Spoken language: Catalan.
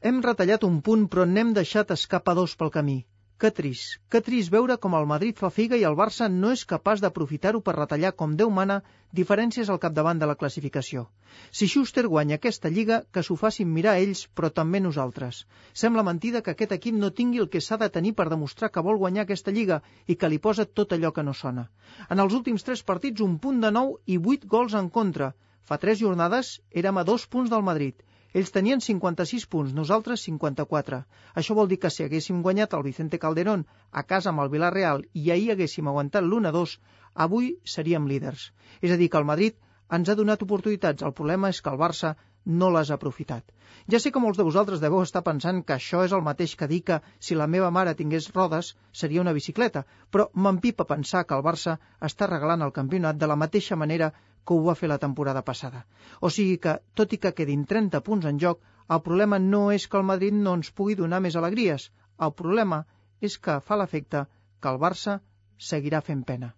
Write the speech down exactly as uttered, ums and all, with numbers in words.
Hem retallat un punt, però n'hem deixat escapar dos pel camí. Que trist, que trist veure com el Madrid fa figa i el Barça no és capaç d'aprofitar-ho per retallar, com Déu mana, diferències al capdavant de la classificació. Si Schuster guanya aquesta lliga, que s'ho facin mirar ells, però també nosaltres. Sembla mentida que aquest equip no tingui el que s'ha de tenir per demostrar que vol guanyar aquesta lliga i que li posa tot allò que no sona. En els últims tres partits, un punt de nou i vuit gols en contra. Fa tres jornades érem a dos punts del Madrid. Ells tenien cinquanta-sis punts, nosaltres cinquanta-quatre. Això vol dir que si haguéssim guanyat el Vicente Calderón a casa amb el Villarreal i ahir haguéssim aguantat l'u a dos, avui seríem líders. És a dir, que el Madrid ens ha donat oportunitats. El problema és que el Barça no les ha aprofitat. Ja sé que molts de vosaltres deveu estar pensant que això és el mateix que dir que si la meva mare tingués rodes seria una bicicleta, però m'empipa pensar que el Barça està regalant el campionat de la mateixa manera que ho va fer la temporada passada. O sigui que, tot i que quedin trenta punts en joc, el problema no és que el Madrid no ens pugui donar més alegries. El problema és que fa l'efecte que el Barça seguirà fent pena.